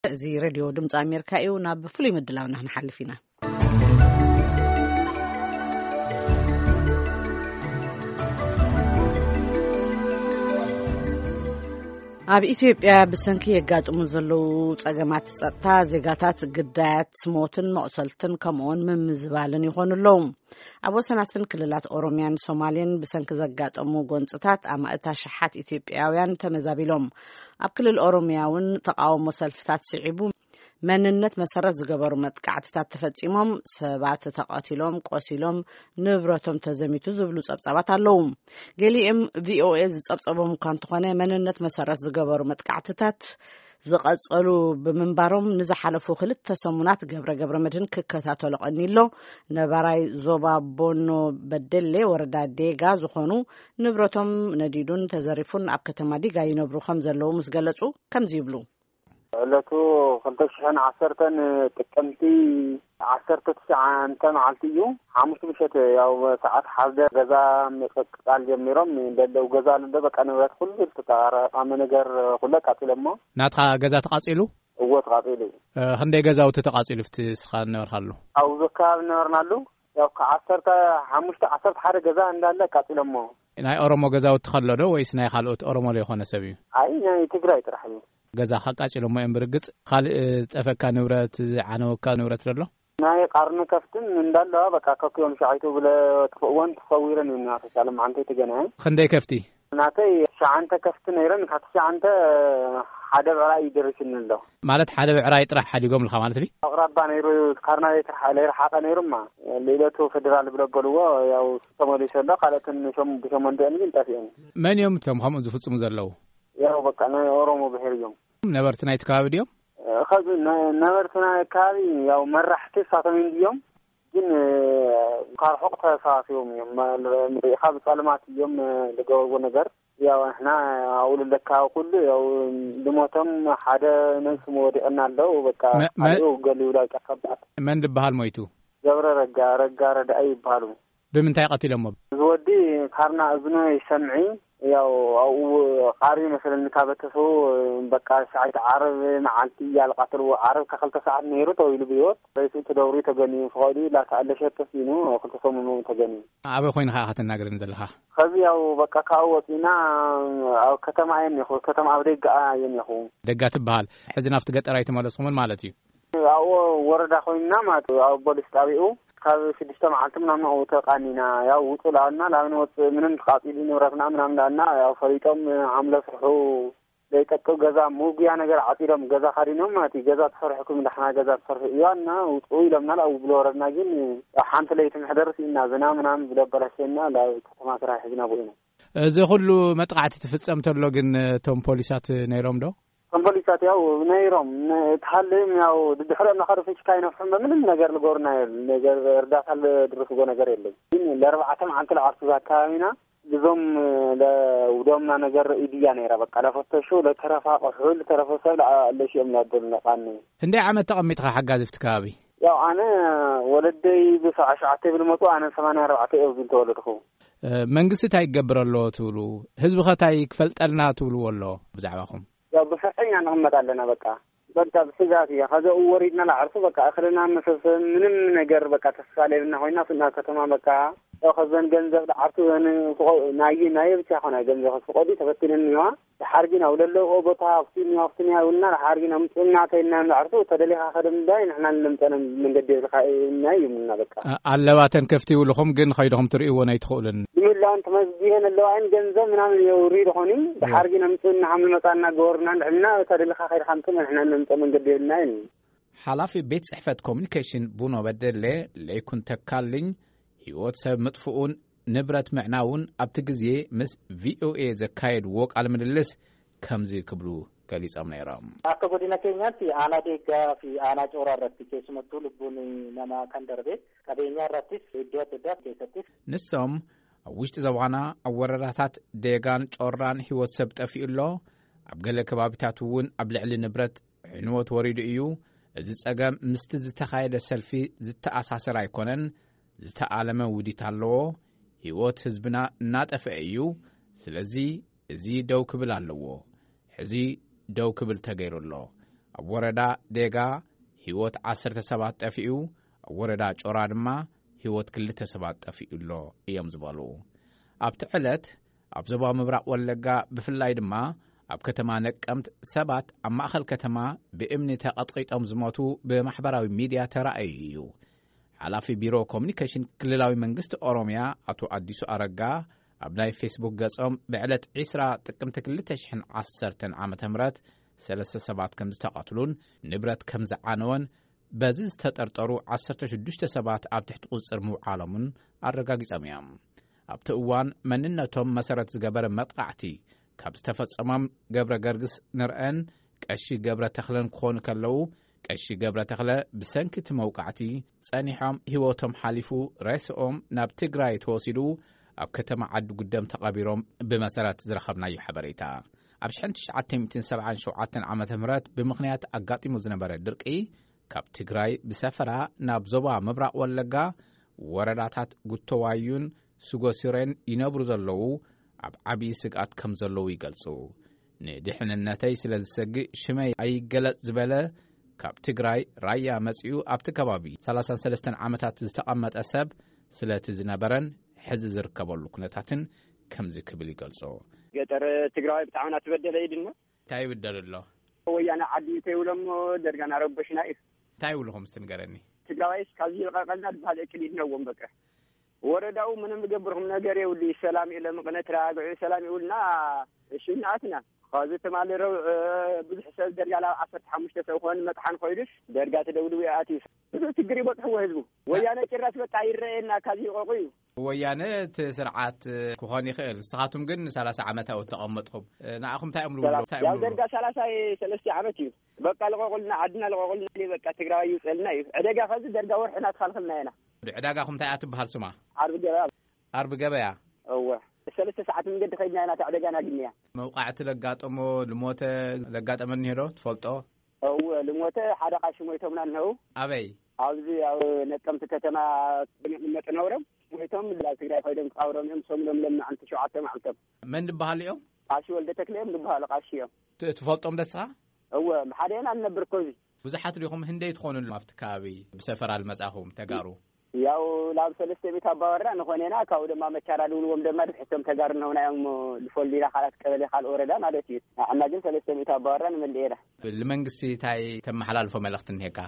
እዚ ሬድዮ ድምፂ ኣሜሪካ እዩ። ናብ ፍሉይ ምድላውና ክንሓልፍ ኢና። ኣብ ኢትዮጵያ ብሰንኪ የጋጥሙ ዘለዉ ጸገማት ጸጥታ፣ ዜጋታት ግዳያት ሞትን መቑሰልትን ከምኡውን ምምዝባልን ይኾኑ ኣለዉ። ኣብ ወሰናስን ክልላት ኦሮሚያን ሶማሌን ብሰንኪ ዘጋጠሙ ጎንጽታት ኣማእት ኣሽሓት ኢትዮጵያውያን ተመዛቢሎም። ኣብ ክልል ኦሮሚያ እውን ተቃውሞ ሰልፍታት ስዒቡ፣ መንነት መሰረት ዝገበሩ መጥቃዕትታት ተፈጺሞም፣ ሰባት ተቐቲሎም፣ ቆሲሎም፣ ንብረቶም ተዘሚቱ ዝብሉ ጸብጻባት ኣለዉ። ገሊኦም ቪኦኤ ዝጸብጸቦም እኳ እንተኾነ፣ መንነት መሰረት ዝገበሩ መጥቃዕትታት ዝቐጸሉ ብምንባሮም፣ ንዝሓለፉ ክልተ ሰሙናት ገብረ ገብረ መድህን ክከታተሎ ቀኒሎ። ነባራይ ዞባ ቦኖ በደሌ ወረዳ ዴጋ ዝኾኑ፣ ንብረቶም ነዲዱን ተዘሪፉን ኣብ ከተማ ዲጋ ይነብሩ ከም ዘለዉ ምስ ገለጹ፣ ከምዚ ይብሉ። ዕለቱ ክልተ ሽሕን ዓሰርተን ጥቅምቲ ዓሰርተ ትሽዓተ መዓልቲ እዩ። ሓሙሽተ ምሸት ያው ሰዓት ሓደ ገዛ ምቅቃል ጀሚሮም፣ ደለው ገዛ ኣሎ፣ በቃ ንብረት ኩሉ ዝተጠራቀመ ነገር ኩሉ ኣቃጺሎሞ። ናትኻ ገዛ ተቃጺሉ? እዎ፣ ተቃጺሉ። እ፣ ክንደይ ገዛውቲ ተቃጺሉ ኣብቲ እስኻ ዝነበርካሉ? ኣብዚ ከባቢ ዝነበርናሉ ያው ከዓሰርተ ሓሙሽተ ዓሰርተ ሓደ ገዛ እንዳለ ኣቃጺሎሞ። ናይ ኦሮሞ ገዛውቲ ከሎ ዶ ወይስ ናይ ካልኦት ኦሮሞ ዘይኮነ ሰብ እዩ? ኣይ፣ ናይ ትግራይ ጥራሕ እዩ። ገዛ ካቃጺሎሞ እዮም ብርግጽ። ካልእ ዝጠፈካ ንብረት፣ ዝዓነወካ ንብረት ዶ ኣሎ? ናይ ቃርኒ ከፍትን እንዳለዋ በቃ ከኪዮም ሸዓይቱ ብለ ጥፍእወን ተሰዊረን እዩ ናተሻለ መዓንተ የተገናየ። ክንደይ ከፍቲ? ናተይ ሸዓንተ ከፍቲ ነይረን፣ ካብቲ ሸዓንተ ሓደ ብዕራይ እዩ ደሪስኒ ኣሎ። ማለት ሓደ ብዕራይ ጥራሕ ሓዲጎም ልካ ማለት ድዩ? ኣቕራባ ነይሩ፣ ካርና ዘይተርሓ-፣ ዘይረሓቐ ነይሩማ። ልኢለቱ ፌደራል ብለበልዎ ያው ተመሊሱ ኣሎ። ካልኦትን ሸም-፣ ብሸሞንተን ግን ጠፊአን። መን እዮም እቶም ከምኡ ዝፍጽሙ ዘለዉ? ያው በቃ ናይ ኦሮሞ ብሔር እዮም። ነበርቲ ናይቲ ከባቢ ድዮም? እ፣ ኸዚ ነ-፣ ነበርቲ ናይ ከባቢ ያው መራሕቲ እሳቶም እዮም ድዮም? ግን፣ እ፣ ካብ ርሑቕ ተሰባሲቦም እዮም። መ-፣ ርኢኻ ብጸልማት እዮም፣ እ፣ ዝገበርዎ ነገር። ያው ንሕና ኣብኡ ለካ ኩሉ ያው ልሞቶም ሓደ ነንስሙ ወዲቕና ኣለዉ። በቃ መ-፣ መ-፣ ካልኡ ገሊኡ ላይቃ ከባድ። መን ዝበሃል ሞይቱ? ገብረ ረጋ፣ ረጋ ረዳኢ ይበሃሉ። ብምንታይ ቀቲሎሞ? እዚ ወዲ ካርና እዝኑ ይሰምዒ፣ ያው ኣብኡ ቃሪ መሰለኒ ካበተሱ፣ በቃ ሸዓይተ ዓርብ መዓልቲ እያ ዝቃተልዎ። ዓርብ ከክልተ ሰዓት ነይሩ ተዊሉ ብህይወት። ሬሱ ተደብሪ ተገንዩ፣ ፍቓዱ ላታ ኣለሸት ተሲኑ፣ ክልተ ሰሙኑ ተገንዩ። ኣበይ ኮይንካ ኢኻ ትናገረኒ ዘለኻ? ከዚ ያው በቃ ካብኡ ወፂና ኣብ ከተማ እየ እኒኹ፣ ከተማ ኣብ ደጋ እየ እኒኹ። ደጋ ትበሃል። ሕዚ ናብቲ ገጠር ኣይተመለስኩምን ማለት እዩ? ኣብኡ ወረዳ ኮይንና ማለት እዩ፣ ኣብ ፖሊስ ጣቢኡ ካብ ሽዱሽተ መዓልቲ ምናምን ኣብኡ ተቃኒና። ያው ውፁ ላልና፣ ላምን ወፅ ምንም ተቃፂሉ ንብረትና ምናምን ላልና፣ ያው ፈሊጦም ሓምለ ስርሑ ዘይጠቅም ገዛ፣ መጉያ ነገር ዓፂዶም ገዛ ካዲኖም ማለት እዩ። ገዛ ተሰርሕኩም ዳሕና ገዛ ተሰርሑ እዋና ውፅኡ ኢሎምና። ላው ብሎ ወረድና፣ ግን ያው ሓንቲ ለይቲ ምሕደር ስኢና፣ ዝና ምናምን ብሎ ኣበላሸና፣ ላብ ከተማ ስራሕ ሒዝና ቦይና። እዚ ኩሉ መጥቃዕቲ ትፍጸም ተሎ ግን እቶም ፖሊሳት ነይሮም ዶ? እቶም ፖሊሳት ያው ነይሮም፣ ነ-፣ ተሃልም ያው ድድሕሮ እናኸዱ ፍንጭካ ይነፍሑም፣ በምንም ነገር ልገብሩና የለን። ነገር እርዳታ ልድርፍጎ ነገር የለን። ግን ለርባዕተ መዓልቲ ለዓርሱ ኣካባቢና ግዞም ለውዶምና ነገር ኢድያ ነይራ። በቃ ለፈተሹ፣ ለተረፋ ቆሑ፣ ለተረፈ ሰብ ለአ-፣ ለሽኦም ላበሉ ነቃኒ። ክንደይ ዓመት ተቐሚጥኻ ሓጋዚ ኣብቲ ከባቢ? ያው ኣነ ወለደይ ብሰብዓ ሸዓተ ብልመጡ፣ ኣነ ሰማንያ ኣርባዕተ እየ ዝብል ተወለድኩ። እ፣ መንግስቲ እንታይ ይገብር ኣሎ ትብሉ? ህዝቢ ኸ እንታይ ክፈልጠልና ትብልዎ ኣሎ ብዛዕባኹም? ያው ብፍርሒ ኢና ንቕመጥ ኣለና በቃ። በቃ ብስጋት እያ። ከዚ ወሪድና ለዓርሱ በቃ እኽልና መሰብሰብ ምንም ነገር በቃ ተስፋ ለብልና ኮይና ስና ከተማ በቃ ያው ከዘን ገንዘብ ለዓርሱ ዘን ፍቆ-፣ ናይ፣ ናይ ብቻ ኾነ ገንዘብ ፍቆዲ ተፈቲነን እኒዋ። ደሓር ግን ኣብ ለለዎ ቦታ ኣብቲ እኒዋ፣ ኣብቲ እኒዋ ይብልና። ደሓር ግን ኣምፅኡና ተይልና ለዓርሱ ተደሊኻ ከደም ዳይ ንሕና ንለምፀነ መንገዲ የብልካ እና ይብልና በቃ። ኣ-፣ ኣለባተን ከፍቲ ይብልኹም ግን ኸይድኹም ትርእይዎ ናይ ትኽእሉን? ብምህላውን ተመዝጊበን ኣለዋ እየን፣ ገንዘብ ምናምን የውሪ ዝኾኒ። እወ። ደሓር ግን ኣምፅኡና ሃም መፃና ገበሩና እንድሕልና፣ እታ ደለኻ ከይድካ ኣምፅእ፣ ንሕና ነምፀ መንገዲ የብልና እየን። ሓላፊ ቤት ጽሕፈት ኮሚኒኬሽን ቡኖ በደሌ ለይኩን ተካልኝ፣ ህይወት ሰብ ምጥፍኡን ንብረት ምዕናውን ኣብቲ ግዜ ምስ ቪኦኤ ዘካየድዎ ቃለ ምልልስ ከምዚ ክብሉ ገሊጾም ነይሮም። Akka godina keenyaatti aanaa deeggaa fi aanaa cooraa irratti keessumattuu lubbuun namaa kan darbe, qabeenyaa irrattis iddoo adda addaa keessattis ንሶም ኣብ ውሽጢ ዞባና ኣብ ወረዳታት ዴጋን ጮራን ህይወት ሰብ ጠፊኡ ኣሎ። ኣብ ገለ ከባቢታት እውን ኣብ ልዕሊ ንብረት ዕንወት ወሪዱ እዩ። እዚ ጸገም ምስቲ ዝተኻየደ ሰልፊ ዝተኣሳሰር ኣይኮነን፣ ዝተኣለመ ውዲት ኣለዎ። ህይወት ህዝብና እናጠፍአ እዩ። ስለዚ እዚ ደው ክብል ኣለዎ። ሕዚ ደው ክብል ተገይሩ ኣሎ። ኣብ ወረዳ ዴጋ ህይወት ዓሰርተ ሰባት ጠፊኡ፣ ኣብ ወረዳ ጮራ ድማ ህይወት ክልተ ሰባት ጠፊኡ ኣሎ እዮም ዝበሉ። ኣብቲ ዕለት ኣብ ዞባ ምብራቕ ወለጋ ብፍላይ ድማ ኣብ ከተማ ነቀምት ሰባት ኣብ ማእኸል ከተማ ብእምኒ ተቐጥቂጦም ዝሞቱ ብማሕበራዊ ሚድያ ተራእዩ እዩ። ሓላፊ ቢሮ ኮሚኒኬሽን ክልላዊ መንግስቲ ኦሮምያ ኣቶ ኣዲሱ ኣረጋ ኣብ ናይ ፌስቡክ ገጾም ብዕለት ዕስራ ጥቅምቲ ክልተ ሽሕን ዓሰርተን ዓመተ ምህረት ሰለስተ ሰባት ከም ዝተቐትሉን ንብረት ከም ዝዓነወን በዚ ዝተጠርጠሩ ዓሰርተ ሽዱሽተ ሰባት ኣብ ትሕቲ ቁጽጽር ምውዓሎምን ኣረጋጊጾም እዮም። ኣብቲ እዋን መንነቶም መሰረት ዝገበረ መጥቃዕቲ ካብ ዝተፈጸሞም ገብረ ገርግስ ንርአን ቀሺ ገብረ ተኽለን ክኾኑ ከለዉ፣ ቀሺ ገብረ ተኽለ ብሰንኪ እቲ መውቃዕቲ ጸኒሖም ህይወቶም ሓሊፉ፣ ሬስኦም ናብ ትግራይ ተወሲዱ ኣብ ከተማ ዓዲ ጉደም ተቐቢሮም ብመሰረት ዝረኸብናዮ ሓበሬታ። ኣብ ሽሕን ትሽዓተ ሚእትን ሰብዓን ሸውዓተን ዓመተ ምህረት ብምኽንያት ኣጋጢሙ ዝነበረ ድርቂ ካብ ትግራይ ብሰፈራ ናብ ዞባ ምብራቕ ወለጋ ወረዳታት ጉተዋዩን ስጎሲሬን ይነብሩ ዘለዉ ኣብ ዓብዪ ስግኣት ከም ዘለዉ ይገልጹ። ንድሕንነተይ ስለ ዝሰግእ ሽመይ ኣይገለጽ ዝበለ ካብ ትግራይ ራያ መጺኡ ኣብቲ ከባቢ ሰላሳን ሰለስተን ዓመታት ዝተቐመጠ ሰብ ስለቲ ዝነበረን ሕዚ ዝርከበሉ ኩነታትን ከምዚ ክብል ይገልጾ። ገጠር ትግራዋይ ብጣዕሚ እናተበደለ እዩ ድማ። እንታይ ይብደል ኣሎ? ወያነ ዓዲ ተይብሎሞ ደርጋ እናረበሽና እዩ። እንታይ ይብልኹም እስቲ ንገረኒ። ትግራዋይስ ካብዚ ይልቐቐልና ዝበሃል እቅድ ይድነዎም በቃ። ወረዳኡ ምንም ዝገብርኩም ነገር የብሉ። ሰላም እዩ ለምቕነ ተረጋግዑ ሰላም ይብሉና። እሺ እናኣትና ኸዚ ትማሊ ረቡዕ ብዙሕ ሰብ ደርጋ ላብ ዓሰርተ ሓሙሽተ ሰብ ክኾን መጥሓን ኮይዱስ ደርጋ ተደብድቡ ይኣትዩ። ብዙሕ ችግር ይበፅሕዎ ህዝቡ። ወያነ ጭራሽ በቃ ይረኣየና ካብ ይልቐቑ እዩ። ወያነ እቲ ስርዓት ክኾን ይኽእል። ንስኻትኩም ግን ሰላሳ ዓመት ኣብኡ ተቐመጥኹም። ንኣኹም እንታይ እዮም ዝብሉ? ሰላሳ እንታይ እዮም ያው ዝብሉ? ደርጋ ሰላሳ ሰለስተ ዓመት እዩ። በቃ ልቐቑልና፣ ዓድና ልቐቑልና፣ በቃ ትግራዋይ ይውፀልና እዩ። ዕደጋ ኸዚ ደርጋ ወርሒ እናተኻልኸልና ኢና። ዕዳጋኹም እንታይ እያ ትበሃል ስማ? ዓርቢ ገበያ። ዓርቢ ገበያ? እወ። ሰለስተ ሰዓት መንገዲ ኸይድና ኢና እቲ ዕደጋና ግንያ። መውቃዕቲ ለጋጠሞ፣ ልሞተ ለጋጠመ እኒሄ ዶ ትፈልጦ? እወ፣ ልሞተ ሓደ ቃሺ ሞይቶምና እነው። ኣበይ? ኣብዚ ኣብ ነቀምቲ ከተማ መጥነውሮም ሞይቶም ናብ ትግራይ ኮይዶም ክቃብሮም እዮም። ሶም ሎም ለማዓንቲ ሸውዓተ መዓልቶም። መን ዝበሃሉ እዮም? ቃሺ ወልደ ተክለ እዮም ዝበሃሉ፣ ቃሺ እዮም። ት-፣ ትፈልጦም ደስኻ? እወ፣ ሓደ ኢና ንነብር እኮ እዚ። ብዙሓት ዲኹም ህንደይ ትኾኑ ኣብቲ ከባቢ ብሰፈራ ልመጻኹም ተጋሩ? ያው ላብ ሰለስተ ቤት ኣባወራ ንኾነና፣ ካብኡ ድማ መቻራ ድብልዎም ድማ ድሕቶም ተጋሩ ነውና እዮም ልፈልዩና፣ ካልኣት ቀበሌ ካልእ ወረዳ ማለት እዩ። ንሕና ግን ሰለስተ ቤት ኣባወራ ንመልእ ኢና። ልመንግስቲ እንታይ ተመሓላልፎ መልእኽቲ እኒሄካ?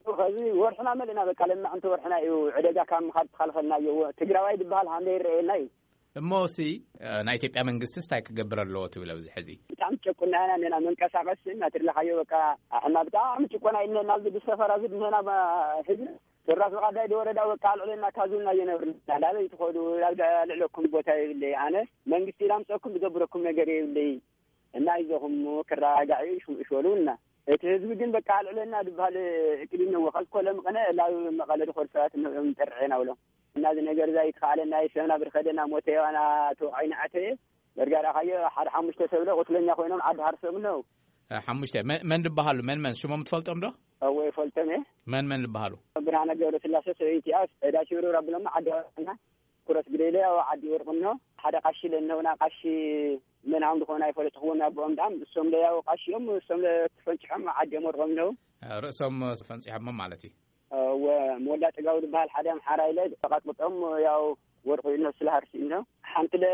ኸዚ ወርሕና መልእና በቃ ለማዕንቲ ወርሕና እዩ። ዕደጋ ካብ ምኻድ ተኻልኸልና እዩ። ትግራዋይ ዝበሃል ሃንደ ይረኣየና እዩ። እሞ ሲ፣ እ፣ ናይ ኢትዮጵያ መንግስትስ እንታይ ክገብር ኣለዎ ትብል ኣብዚ ሕዚ? ብጣዕሚ ጨቁና ኢና ነና መንቀሳቐስ እናትርለኻዮ በቃ ኣሕና ብጣዕሚ ጭቆና ኢልና ኣብዚ ብሰፈራ ዝድነና ህዝቢ ስራስ ብቓዳይ ወረዳ በቃ ኣልዕለና ካዙና እየነብርና። ላበይ ትኸዱ? ኣብ ልዕለኩም ቦታ የብለይ። ኣነ መንግስቲ ኢላምፀኩም ዝገብረኩም ነገር የብለይ። እና ይዘኹም ክረጋጋዕ እዩ ሽም እሽወሉ እና እቲ ህዝቢ ግን በቃ ኣልዕለና ዝበሃል እቅድ እነዎ። ከዚ ኮለ መቐነ ላብ መቐለ ድኸዱ ሰባት እነኦም ጠርዕና ብሎም። እና እዚ ነገር እዛ ይተኻለና እዩ። ሰብና ብድኸደና ሞተ የዋና ተወዓይና ኣተየ። በርጋዳ ካዮ ሓደ ሓሙሽተ ሰብ ለ ቁስለኛ ኮይኖም ዓዲ ሃርሶም ነው። እ፣ ሓሙሽተ። መ-፣ መን ዝበሃሉ? መን መን? ሽሞም ትፈልጦም ዶ? እወ ይፈልጦም እየ። መን መን ዝበሃሉ? ብርሃነ ገብረስላሴ፣ ሰበይቲኣ፣ ዕዳ ሽብርብር ኣቢሎማ ዓዲ ሃርሶምና። ኩረስ ግደለ ኣብ ዓዲ ወርቅኖ ሓደ ቃሺ ለነውና ቃሺ መን ሃም ዝኾነ ኣይፈለጥኽዎም ኣቦኦም ዳም እሶም ለያው ቃሺ እዮም እሶም ለተፈንጭሖም ዓዲ እዮም ወርቆም ነው። ርእሶም ፈንጺሖም ማለት እዩ። እወ፣ ሞላ ጥጋው ዝበሃል ሓደ ኣምሓራ ኢለ ተቃጥቅጦም ያው ወርቁ ይነሱ ለሃርሲ ነው። ሓንቲ ለ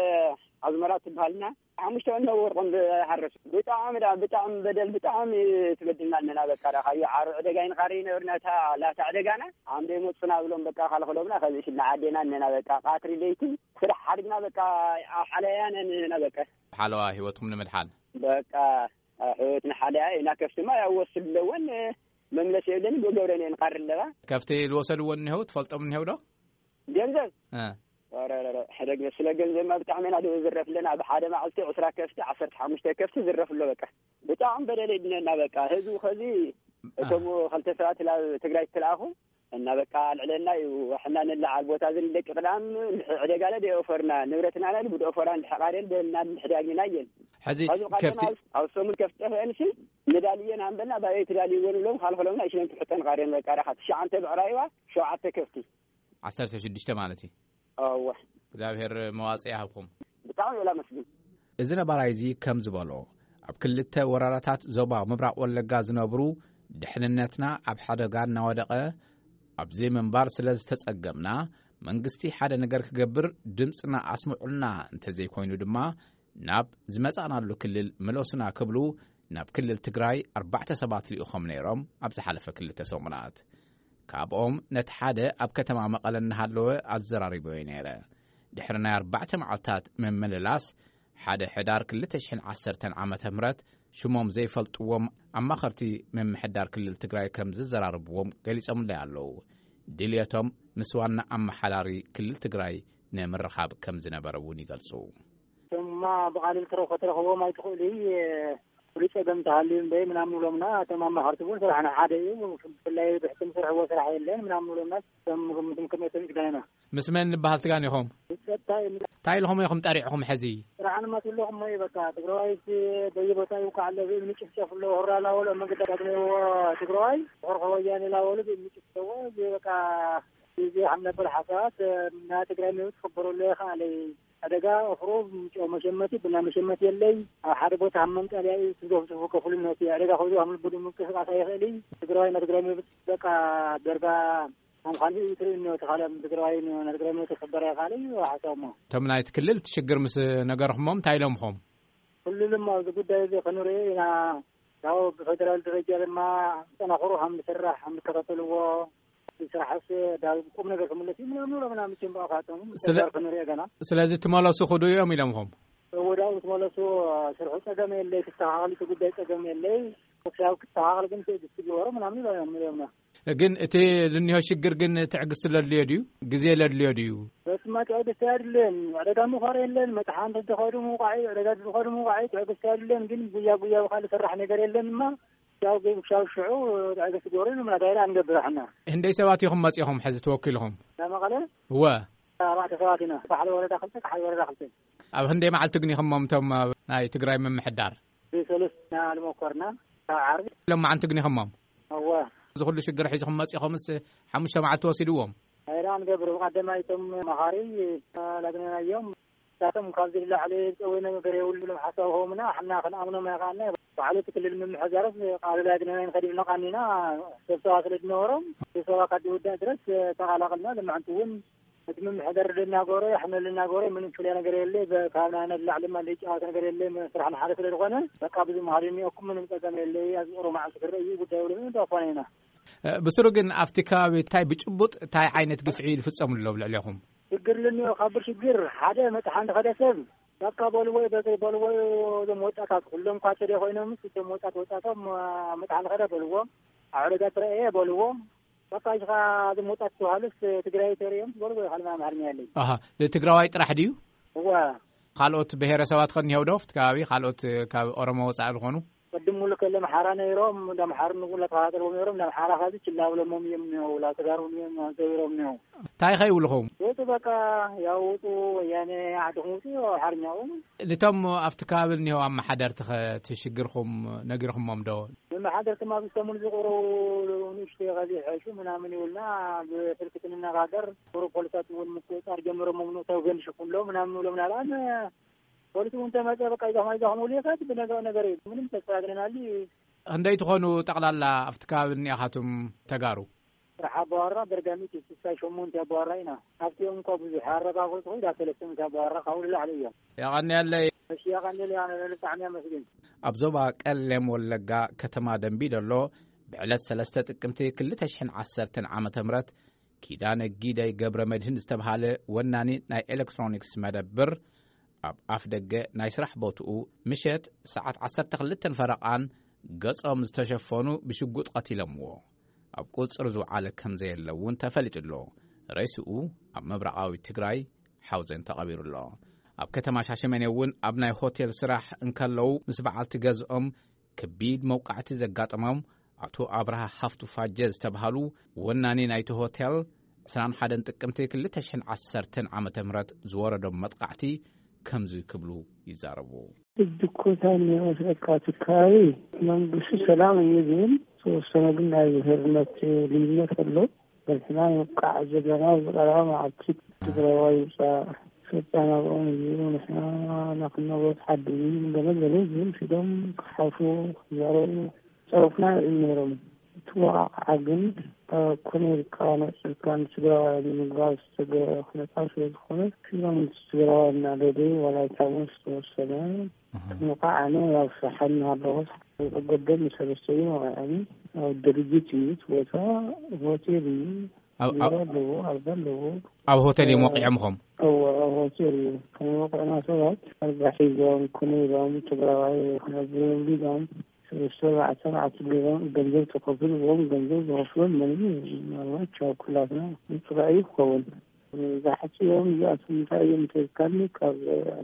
ኣዝመራ ትበሃልና ሓሙሽተ ወነ ወርቆም ዝሃረሱ። ብጣዕሚ ዳ-፣ ብጣዕሚ በደል፣ ብጣዕሚ ትበድልና ኣለና። በቃ ዳ ካዩ ዓሩ ዕደጋ ይንኻሪ ይነበርና፣ እታ ላታ ዕደጋና ዓምደ ይመጹና ብሎም በቃ ካልኸሎምና፣ ከዚ ሽልና ዓዴና እነና በቃ ቃትሪ ለይቲ ስራሕ ሓድግና በቃ ኣብ ሓለያ ነንህና በቃ። ሓለዋ ህይወትኩም ንምድሓን። በቃ ሕይወትና ሓለያ ኢና። ከፍትማ ያው ወስድ ኣለወን መምለስ የብለን፣ ብገብረን እየን ቃሪ ኣለዋ። ከፍቲ ዝወሰድዎ እኒሄው፣ ትፈልጦም እኒሄው ዶ? ገንዘብ? እ። ኧረ፣ ኧረ፣ ኧረ፣ ሕደግ ስለ ገንዘብማ ብጣዕሚ ኢና ድዝረፍ ኣለና። ኣብ ሓደ መዓልቲ ዕስራ ከፍቲ፣ ዓሰርተ ሓሙሽተ ከፍቲ ዝረፍ ኣሎ በቃ። ብጣዕሚ በደል ይድነና በቃ። ህዝቡ ኸዚ እ። እቶም ኸልተ ሰባት ናብ ትግራይ ትለኣኹ እና በቃ ኣልዕለና እዩ። ሕና ንለዓል ቦታ እዚ ንደቂ ቅዳም ዕደጋለ ደየኦፈርና፣ ንብረትና ለ ብድኦፈራ ንድሕቃርየን ደልና ንድሕዳግና እየን። ሕዚ ኸዚ ቀደም ከፍቲ ኣብ፣ ኣብ ሰሙን ከፍቲ ጠፍአንሲ ንዳልየን ሃምበልና ባየ ትዳልይዎ ንብሎም ካልኸሎምና ይሽለን ትሕጠን ቃርየን በቃ ዳኻ ትሽዓንተ ብዕራይዋ ሸውዓተ ከፍቲ። ዓሰርተ ሽዱሽተ ማለት እዩ። እወ። እግዚኣብሔር መዋጽእ ይሃብኩም። ብጣዕሚ እየ ላመስግን። እዚ ነባራይ እዚ ከም ዝበሎ፣ ኣብ ክልተ ወረዳታት ዞባ ምብራቕ ወለጋ ዝነብሩ፣ ድሕንነትና ኣብ ሓደጋ እናወደቐ ኣብዚ ምንባር ስለ ዝተጸገምና፣ መንግስቲ ሓደ ነገር ክገብር ድምፅና ኣስምዑልና፣ እንተዘይኮይኑ ድማ ናብ ዝመጻእናሉ ክልል ምለሱና ክብሉ ናብ ክልል ትግራይ ኣርባዕተ ሰባት ልኢኾም ነይሮም ኣብ ዝሓለፈ ክልተ ሰሙናት። ካብኦም ነቲ ሓደ ኣብ ከተማ መቐለ እናሃለወ ኣዘራሪቦዮ ነይረ። ድሕሪ ናይ ኣርባዕተ መዓልታት ምምልላስ፣ ሓደ ሕዳር ክልተ ሽሕን ዓሰርተን ዓመተ ምህረት ሽሞም ዘይፈልጥዎም ኣማኸርቲ ምምሕዳር ክልል ትግራይ ከም ዝዘራርብዎም ገሊጾምለይ ኣለዉ። ድልየቶም ምስ ዋና ኣመሓዳሪ ክልል ትግራይ ንምርኻብ ከም ዝነበረ እውን ይገልጹ። እማ ብቓሊል ክትረኽቦ፣ ክትረኽቦም ኣይትኽእልይ፣ ፍሉይ ጸገም ተሃልዩ እምበይ ምናምን ብሎምና። እቶም ኣማኸርቲ እውን ስራሕና ሓደ እዩ፣ ብፍላይ ብሕትን ስርሕዎ ስራሕ የለን ምናምን ብሎምና። እቶም ግምትም ክመቶም ይግዳይና። ምስ መን ንበሃል ትጋን ኢኹም? ጸጥታ እዩ። እንታይ ኢልኹም ኢኹም ጠሪዕኹም ሕዚ? ስራሕን መትለኹም እዩ። በቃ ትግራዋይስ በየቦታ ይውቃዕ ኣሎ፣ ብእምኒ ጭፍጨፍ ኣሎ፣ ሆራ ላወሎ መንገዲ ዳግመዎ ትግራዋይ፣ ሆርኸ ወያኔ ላወሎ ብእምኒ ጭፍጨዎ፣ እዚ በቃ እዚ ከም ነበር ሓሳባት ናይ ትግራይ መብት ክኽበረሉ ይኽኣል እዩ። ዕደጋ ወፍሩ፣ ጨው መሸመቲ፣ ቡና መሸመቲ የለይ። ኣብ ሓደ ቦታ ኣብ መንጠልያ እዩ ትዘፍዝፉ ከፍሉ ነቲ ዕደጋ ከብዱ ኣብ ልቡ ምንቅስቃስ ኣይኽእል እዩ። ትግራዋይ ናይ ትግራይ መብት በቃ ደርጋ ከም ካልእ እዩ ትርእዩ ነቲ ካልእ ትግራዋይ ናይ ትግራይ መብት ክኽበረ ይኽኣል እዩ ሓሳብ እሞ። እቶም ናይቲ ክልል እቲ ሽግር ምስ ነገርኹሞም እንታይ ኢሎምኹም? ክልል እሞ ኣብዚ ጉዳይ እዚ ክንርኢ ኢና። ያው ብፌደራል ደረጃ ድማ ጠናኽሩ ከም ዝስራሕ ከም ዝከታተልዎ፣ ስራሕስ ዳግም ቁም ነገር ክምለስ እዩ ምናምን ብሎ ምናምን ጭምባፋቶም ስለ- ተጋር ክንሪኦ ገና። ስለዚ ትመለሱ ክዱ እዮም ኢሎምኹም? ወዳው ትመለሱ፣ ስርሑ ጸገም የለይ፣ ክስተኻኸል እቲ ጉዳይ ጸገም የለይ፣ ክሳብ ክስተኻኸል ግን ትዕግስቲ ግበሩ ምናምን ይብሎም። ግን እቲ ዝኒሆ ሽግር ግን ትዕግስቲ ለድልዮ ድዩ? ግዜ ለድልዮ ድዩ? በስማ ትዕግስቲ ኣይድልን። ዕደጋ ምዃር የለን፣ መጥሓን ተተኸዱ ምውቃዒ፣ ዕደጋ ዝኸዱ ምውቃዒ ትዕግስቲ ኣይድልን። ግን ጉያ ጉያ ብካልእ ስራሕ ነገር የለን እማ፣ ያው ግን ክሳብ ሽዑ ትዕግስቲ ግበሩ ምና ዳይራ ንገብር ኣሕና። ህንደይ ሰባት ኢኹም መጺኹም ሕዚ ተወኪልኹም? ናብ መቐለ? እወ። ኣርባዕተ ሰባት ኢና። ካብ ሓደ ወረዳ ክልተ፣ ካብ ሓደ ወረዳ ክልተ። ኣብ ህንደይ መዓልቲ ግኒኹሞም እቶም ኣብ ናይ ትግራይ ምምሕዳር? ብሰሉስ ኢና ልመኮርና፣ ካብ ዓርቢ። ሎማዓንቲ ግኒኹሞም? እወ። እዚ ኩሉ ሽግር ሒዝኹም መጺኹምስ ሓሙሽተ መዓልቲ ወሲድዎም? ዳይራ ንገብር። ብቐደማይ እቶም መኻሪ ላግነናዮም። ንሳቶም ካብዚ ንላዕሊ ዝጸወይና ነገር የብሉ ኢሎም ሓሳብ ሆምና፣ ሕና ክንኣምኖም ኣይኸኣልና። ባዕሉ እቲ ክልል ምምሕዳርስ ቃል ላግነና ንኸድ ኢልና ቃኒና፣ ስብሰባ ስለ ዝነበሮም፣ ስብሰባ ካብ ዝውዳእ ድረስ ተቓላቕልና። ልምዓንቲ እውን እቲ ምምሕዳር ልናገሮ፣ የሕመል ልናገሮ፣ ምንም ፍልያ ነገር የለ። በ-፣ ካብ ናይና ንላዕሊ ድማ ዘይጨዋት ነገር የለ። ስራሕና ሓደ ስለ ዝኾነ፣ በቃ ብዙ መሃሪ እኒኦኩም ምንም ጸገም የለ። ኣብዚ ቁሩብ መዓልቲ ክረእ እዩ ጉዳይ ብሎ ዳፋና ኢና። እ፣ ብስሩ ግን ኣብቲ ከባቢ እንታይ ብጭቡጥ እንታይ ዓይነት ግፍዒ ይፍጸም ኣሎ ኣብ ልዕሌኹም? ሽግር ልኒኦ፣ ካብ ሽግር ሓደ መጥሓ እንተኸደ ሰብ በቃ በልዎ እዩ፣ በዘይ በልዎ እዩ። እዞም ወጣታት ኩሎም እኳ ተደ ኮይኖምስ፣ እቶም ወጣት ወጣቶም፣ አ፣ መጥሓ እንተኸደ በልዎ፣ ኣብ ዕደጋ ትረአየ በልዎ። በቃ፣ እዚኻ እዞም ወጣት ተባሃሉስ ትግራይ ተርእዮም በልዎ እዩ፣ ካልእ ኣምሓርኛ የለይ። ኣሃ፣ ንትግራዋይ ጥራሕ ድዩ? እወ። ካልኦት ብሄረሰባት ከ እኒሄው ዶ ኣብቲ ከባቢ? ካልኦት ካብ ኦሮሞ ወጻኢ ዝኾኑ? ቅድም ሙሉ ከለ ኣምሓራ ነይሮም፣ እንዳ ኣምሓሩ ንጉላ ተኸታተልዎም ነይሮም፣ እንዳ ኣምሓራ ካብዚ ችላ ብሎሞም እዮም እኒሆው፣ ላተጋሩ እዮም ዘቢሮም እኒሆው። እንታይ ከ ይብልኹም? ውጡ በቃ፣ ያው ውጡ፣ ወያኔ ዓድኹም ውጡ፣ ኣምሓርኛኡ። ንቶም ኣብቲ ከባቢ እኒሆው ኣመሓደርቲ ኸ እቲ ሽግርኹም ነጊርኹሞም ዶ? መመሓደርትማ ብሰሙን ዝቕረቡ ንእሽተይ ኸዚ ሕሹ ምናምን ይብሉና፣ ብስልኪ ክንነጋገር፣ ቁሩብ ፖሊሳት እውን ምቁፅፃር ጀምሮም፣ ምኑ ተው ገንሽኩም ሎ ምናምን ይብሎምና። ኣነ ፖሊስ እውን ተመጸ፣ በቃ፣ ይዛኹም፣ ይዛኹም፣ ውልየታት ብነገር ነገር እዩ። ምንም ተስተካክለናል። ክንደይ ትኾኑ ጠቕላላ ኣብቲ ከባቢ እኒኣኻትም ተጋሩ? ስራሕ ኣባዋራ በርጋሚት እዩ፣ ስሳ ሸሞንተ ኣባዋራ ኢና። ኣብቲኦም እኳ ብዙሕ ኣረጋገጽ ኮይኑ፣ ዳብ ሰለስተ ሚእቲ ኣባዋራ ካብኡ ንላዕሊ እዮም። የቐንየለይ። እሺ፣ የቐንየለይ፣ ኣነ ብጣዕሚ ኣመስግን። ኣብ ዞባ ቀሌም ወለጋ ከተማ ደንቢ ዶሎ ብዕለት ሰለስተ ጥቅምቲ ክልተ ሽሕን ዓሰርተን ዓመተ ምህረት ኪዳነ ጊደይ ገብረ መድህን ዝተብሃለ ወናኒ ናይ ኤሌክትሮኒክስ መደብር፣ ኣብ ኣፍ ደገ ናይ ስራሕ ቦትኡ ምሸት ሰዓት ዓሰርተ ክልተን ፈረቓን ገጾም ዝተሸፈኑ ብሽጉጥ ቀቲሎምዎ። ኣብ ቁጽሪ ዝውዓለ ከም ዘየለ እውን ተፈሊጡ ኣሎ። ሬስኡ ኣብ ምብራቓዊ ትግራይ ሓውዜን ተቐቢሩ ኣሎ። ኣብ ከተማ ሻሸመኔ እውን ኣብ ናይ ሆቴል ስራሕ እንከለዉ ምስ በዓልቲ ገዝኦም ከቢድ መውቃዕቲ ዘጋጠሞም ኣቶ ኣብርሃ ሃፍቱ ፋጀ ዝተብሃሉ ወናኒ ናይቲ ሆቴል፣ ዕስራን ሓደን ጥቅምቲ ክልተ ሽሕን ዓሰርተን ዓመተ ምህረት ዝወረዶም መጥቃዕቲ ከምዚ ክብሉ ይዛረቡ። እድኮታ የሚመስለካ ትካባቢ መንግስቱ ሰላም እዩ ዝብል፣ ዝተወሰነ ግን ናይ ብሄርነት ልዩነት ኣሎ። በርትና ንውቃዕ ዘለና ዝቐረበ መዓልቲ ትግራዋይ ውፃእ ከጻናብኦም እዩ፣ ንሕና ናክናቦት ሓዲ ገለ ገለ ዝብል ሲዶም ክሓፉ ክዛረቡ ጸሩፍና እዮም ነይሮም። እቲ ወቓቕዓ ግን ኮነ ኢልካ ነጽልካ ንትግራዋይ ንምግባር ዝተገበረ ኩነታት ስለ ዝኾነ፣ ሲዶም ትግራዋይ እናደለዩ ዋላ ይታመስ ዝተወሰነ ምቃዕ ኣነ ኣብ ስራሓ እናሃለኹ ገደል ንሰለስተ እዩ ወቂዐኒ። ኣብ ድርጅት እዩ እቲ ቦታ፣ ሆቴል እዩ። ኣብ- ኣብ- ቢሮ ኣለዎ፣ ኣልጋ ኣለዎ። ኣብ ሆቴል እዮም ወቂዖምኹም? እወ፣ ኣብ ሆቴል እዩ። ከም ወቂዕና ሰባት ኣልጋ ሒዞም ኮነ ኢሎም ትግራዋይ ክነብሩ ኢሎም ሰለስተ ኣርባዕተ ኣርባዕተ ገይሮም ገንዘብ ተኸፍልዎም፣ ገንዘብ ዝኸፍሎም መን እዩ? ምናልባት ቻው ኩላትና ጥራይ እዩ ክኸውን። ዝሓጽዮም እዚኣቶም እንታይ እዮም እንተልካኒ፣ ካብ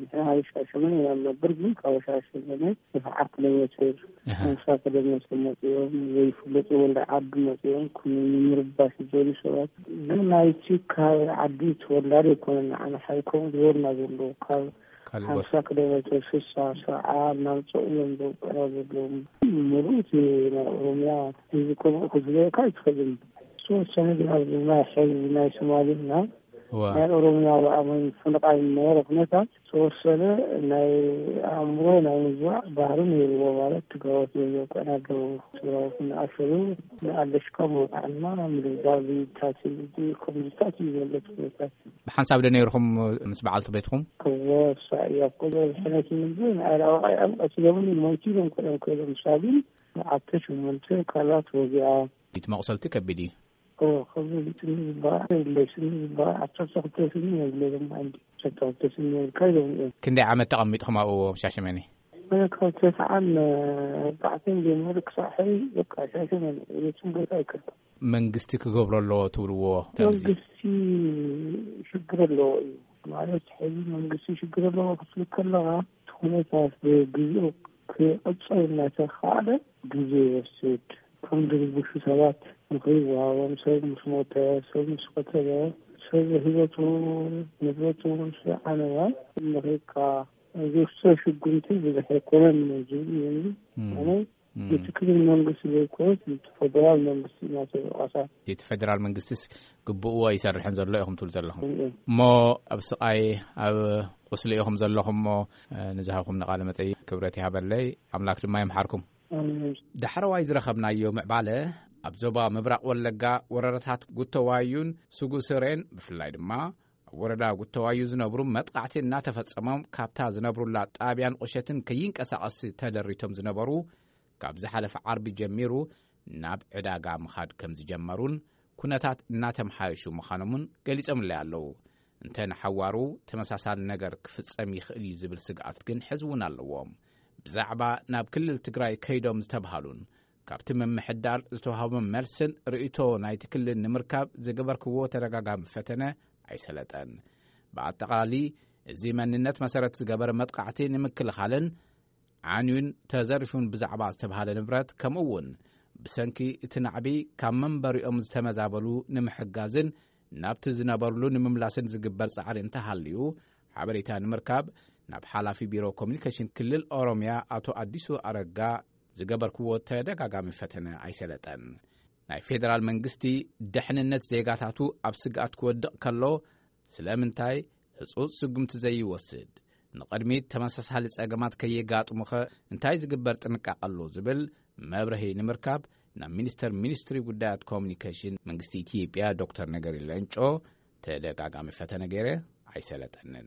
ንሕና ኣብ ሻሸመኔ ኢና ንነብር፣ ግን ካብ ሻሸመኔ ሰብዓ ኪሎ ሜትር፣ ኣሃ። ሓምሳ ኪሎ ሜትር መጺኦም፣ ዘይፍለጡ ወልዲ ዓዲ መጺኦም፣ ከም ንምርባሽ ዝደልዩ ሰባት። ግን ናይቲ ካብ ዓዲ ተወላዲ ኣይኮነን፣ ንዓና ሓይኮም ዝበሉና ዘለዉ፣ ካብ ካልእ ቦታ። ሓምሳ ኪሎ ሜትር፣ ስሳ፣ ሰብዓ እናምጽኡ እዮም ዘውቅዑና ዘለዉ። ምሉእ እቲ ናይ ኦሮምያ ህዝቢ ከምኡ ክዝለየካ ኣይትኽእልን። ዝተወሰነ ግን ኣብዚ ናይ ሕዚ ናይ ሶማሌና እዋ። ናይ ኦሮምያ ብኣመን ፍንቓይ ዝነበረ ኩነታት ዝተወሰነ ናይ ኣእምሮ ናይ ምዝዋዕ ባህሪ ነይርዎ። ማለት ትግራዎት እዮም ዘውቅዑና ኣለዉ። ትግራዎት እናኣሸሩ ንኣለሽካ መውቃዕና ምድብዳብ፣ ታሲል፣ ከምዚታት እዩ ዘሎ እቲ ኩነታት። ብሓንሳብ ዶ ነይርኹም ምስ በዓልቲ ቤትኹም? እወ፣ እሳ እያ እኮ ዘብሐነትኒ እንጂ ንኣይ ላወቓይ ኣብ ቀቲሎምኒ ሞይቱ ኢሎም ኮይኖም ከይዶም። እሳ ግን ሸዓተ ሸሞንተ ካላት ወጊኣ። እቲ መቑሰልቲ ከቢድ እዩ። እወ፣ ከቢድ እዩ። ስኒ ዝበሃል የብለይ፣ ስኒ ዝበሃል ዓሰርተ ክልተ ስኒ የብለይ። ሎም ዓንዲ ዓሰርተ ክልተ ስኒ የብልካ ኢሎም እዮም። ክንደይ ዓመት ተቐሚጥኹም ኣብኡ ኣብ ሻሸመኔ? ኣነ ካብ ተስዓን ኣርባዕተን ጀሚሩ ክሳዕ ሕዚ በቃ ሻሸመኔ፣ የትም ቦታ ኣይከድኩን። መንግስቲ ክገብሮ ኣለዎ ትብልዎ ከምዚ? መንግስቲ ሽግር ኣለዎ እዩ። ማለት ሕዚ መንግስቲ ሽግር ኣለዎ ክትብል ከለኻ፣ እቲ ኩነታት ብግዜኡ ክቕጸል እናተኻእለ ግዜ ይወስድ። ከም ድርብሹ ሰባት ምኽሪ ይወሃቦም። ሰብ ምስ ሞተ፣ ሰብ ምስ ቀተለ፣ ሰብ ህይወቱ ንብረቱ ምስ ዓነወ፣ ምኽሪካ ዝውሰድ ሽጉምቲ ብዙሕ ኣይኮነን ዝብል እዩ። እም። ኣነ እም። እቲ ክልል መንግስቲ ዘይኮነስ፣ እቲ ፌደራል መንግስቲ ኢና ተወቃሳ። እቲ ፌደራል መንግስቲስ ግብእዎ ኣይሰርሕን ዘሎ ኢኹም ትብሉ ዘለኹም። እም። እሞ ኣብ ስቓይ፣ ኣብ ቁስሊ ኢኹም ዘለኹም እሞ፣ እ፣ ንዝሃብኩም ንቃለ መጠይቅ ክብረት ይሃበለይ፣ ኣምላክ ድማ ይምሓርኩም። ኣሜን። ዳሕረዋይ ዝረኸብናዮ ምዕባለ ኣብ ዞባ ምብራቕ ወለጋ ወረዳታት ጉተዋዩን ሱጉስሬን ብፍላይ ድማ ኣብ ወረዳ ጉተዋዩ ዝነብሩ መጥቃዕቲ እናተፈጸሞም ካብታ ዝነብሩላ ጣብያን ቁሸትን ከይንቀሳቐስ ተደሪቶም ዝነበሩ ካብ ዝሓለፈ ዓርቢ ጀሚሩ ናብ ዕዳጋ ምኻድ ከም ዝጀመሩን ኩነታት እናተምሓየሹ ምዃኖምን ገሊጾምለይ ኣለዉ። እንተ ንሓዋሩ ተመሳሳሊ ነገር ክፍጸም ይኽእል እዩ ዝብል ስግኣት ግን ሕዚ እውን ኣለዎም። ብዛዕባ ናብ ክልል ትግራይ ከይዶም ዝተብሃሉን ካብቲ ምምሕዳር ዝተዋህቦም መልስን ርእይቶ ናይቲ ክልል ንምርካብ ዝገበርክዎ ተደጋጋሚ ፈተነ ኣይሰለጠን። ብኣጠቓላሊ እዚ መንነት መሰረት ዝገበረ መጥቃዕቲ ንምክልኻልን ዓንዩን ተዘሪፉን ብዛዕባ ዝተብሃለ ንብረት፣ ከምኡ እውን ብሰንኪ እቲ ናዕቢ ካብ መንበሪኦም ዝተመዛበሉ ንምሕጋዝን ናብቲ ዝነበርሉ ንምምላስን ዝግበር ጻዕሪ እንተሃልዩ፣ ሓበሬታ ንምርካብ ናብ ሓላፊ ቢሮ ኮሚኒኬሽን ክልል ኦሮምያ ኣቶ ኣዲሱ ኣረጋ ዝገበርክዎ ተደጋጋሚ ፈተነ ኣይሰለጠን። ናይ ፌደራል መንግስቲ ደሕንነት ዜጋታቱ ኣብ ስግኣት ክወድቕ ከሎ ስለምንታይ ህጹጽ ስጉምቲ ዘይወስድ? ንቕድሚት ተመሳሳሊ ጸገማት ከየጋጥሙኸ እንታይ ዝግበር ጥንቃቐ ኣሎ? ዝብል መብርሂ ንምርካብ ናብ ሚኒስተር ሚኒስትሪ ጉዳያት ኮሚኒኬሽን መንግስቲ ኢትዮጵያ ዶክተር ነገሪ ሌንጮ ተደጋጋሚ ፈተነ ገይረ ኣይሰለጠንን።